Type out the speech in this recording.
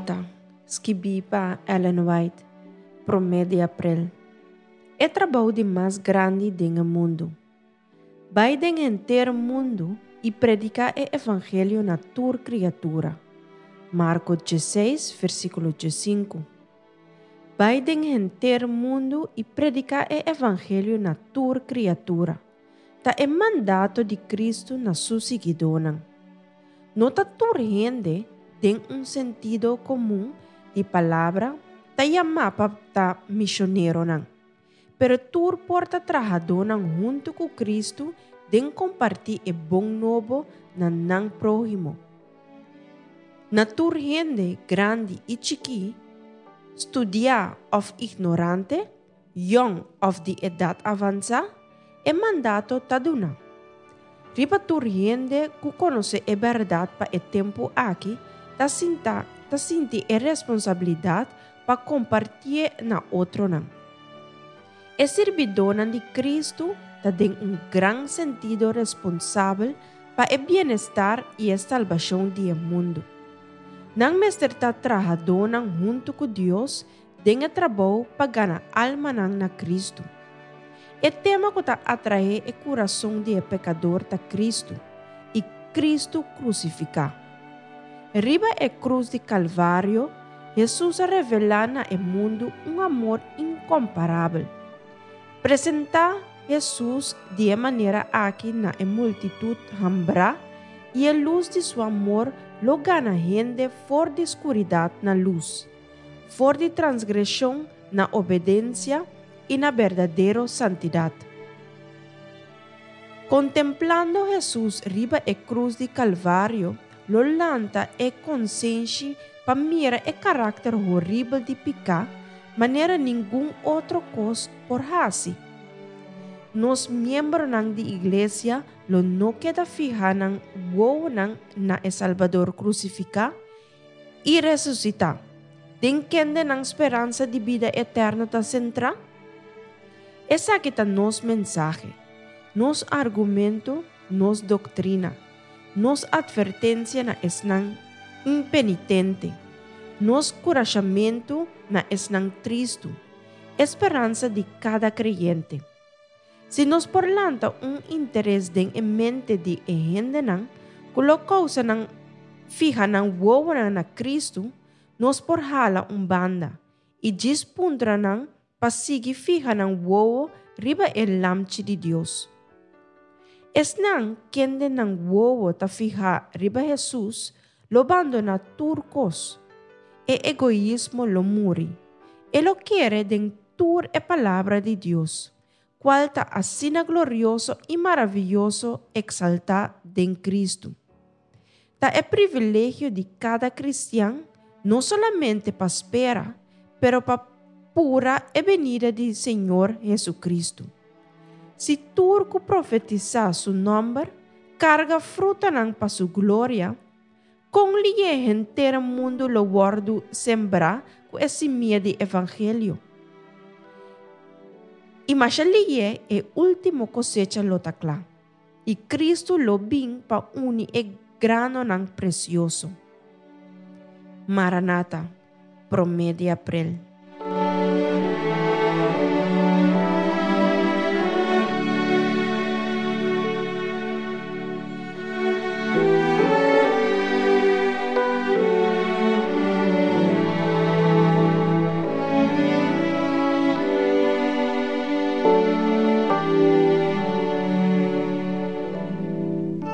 Maranata, skibí pa Ellen White, promé di aprel. E trabou di mas grandi den e mundu. Bai den henter mundu i prediká e evangelio na tur kriatura. Marko 16, versíkulo 15. Bai den henter mundu i prediká e evangelio na tur kriatura. Ta e mandato di Kristu na su siguidónan. No ta tur hende, den un sentido komun di palabra, ta yamá pa ta misioneronan. Pero tur por ta trahadónan huntu ku Kristu den kompartí e bon nobo na nan próhimo. Na tur hende, grandi i chikí, studiá òf ignorante, yòn òf di edat avansá, e mandato ta duna. Riba tur hende ku konosé e bèrdat pa e tempu aki ta sinta ta sinti e responsabilidat pa kompartié na otronan. E sirbidónan di Kristu ta den un gran sentido responsabel pa e bienestar i e salbashon di e mundu. Nan mester ta trahadónan huntu ku Dios den e trabou pa gana almanan na Kristu. E tema ku ta atraé e kurason di e pekador ta Kristu i Kristu krusifiká. Riba e krus di Kalvario, Hesus a revelá na e mundu un amor inkomparabel. Presentá Hesus di e manera aki na e multitut hambrá i e lus di su amor lo gana hende for di skuridat na lus, for di transgreshon na obedensia i na berdadero santidat. Kontemplando Hesus riba e krus di Kalvario lo lanta e konsenshi pa mira e karakter horibel di piká manera ningun otro kos por hasi. Nos miembronan di Iglesia lo no keda fiha nan wowonan na e Salbador krusifiká i resusitá, den kende nan speransa di bida eterno ta sentrá? Esaki ta nos mensahe, nos argumento, nos doktrina, nos atvertensia na esnan impenitente, nos kurashamentu na esnan tristu, e speransa di kada kreyente. Si nos por lanta un interes den e mente di e hendenan ku lo kousa nan fiha nan wowonan na Kristu, nos por hala un banda i djis puntra nan pa sigui fiha nan wowo riba e Lamchi di Dios. Esnan kende nan wowo ta fihá riba Hesus lo bandoná tur kos. E egoismo lo muri. E lo kere den tur e Palabra di Dios, kual ta asina glorioso i maravioso eksaltá den Kristu. Ta e privilegio di kada kristian no solamente pa spera, pero pa pura e benida di Señor Hesukristu. Si tur ku profetisá su nòmber karga frutanan pa su gloria, kon lié henter mundu lo wòrdu sembrá ku e simia di evangelio? I masha lié e último kosecha lo ta kla. I Kristu lo bin pa uni e granonan presioso. Maranata, promé di aprel.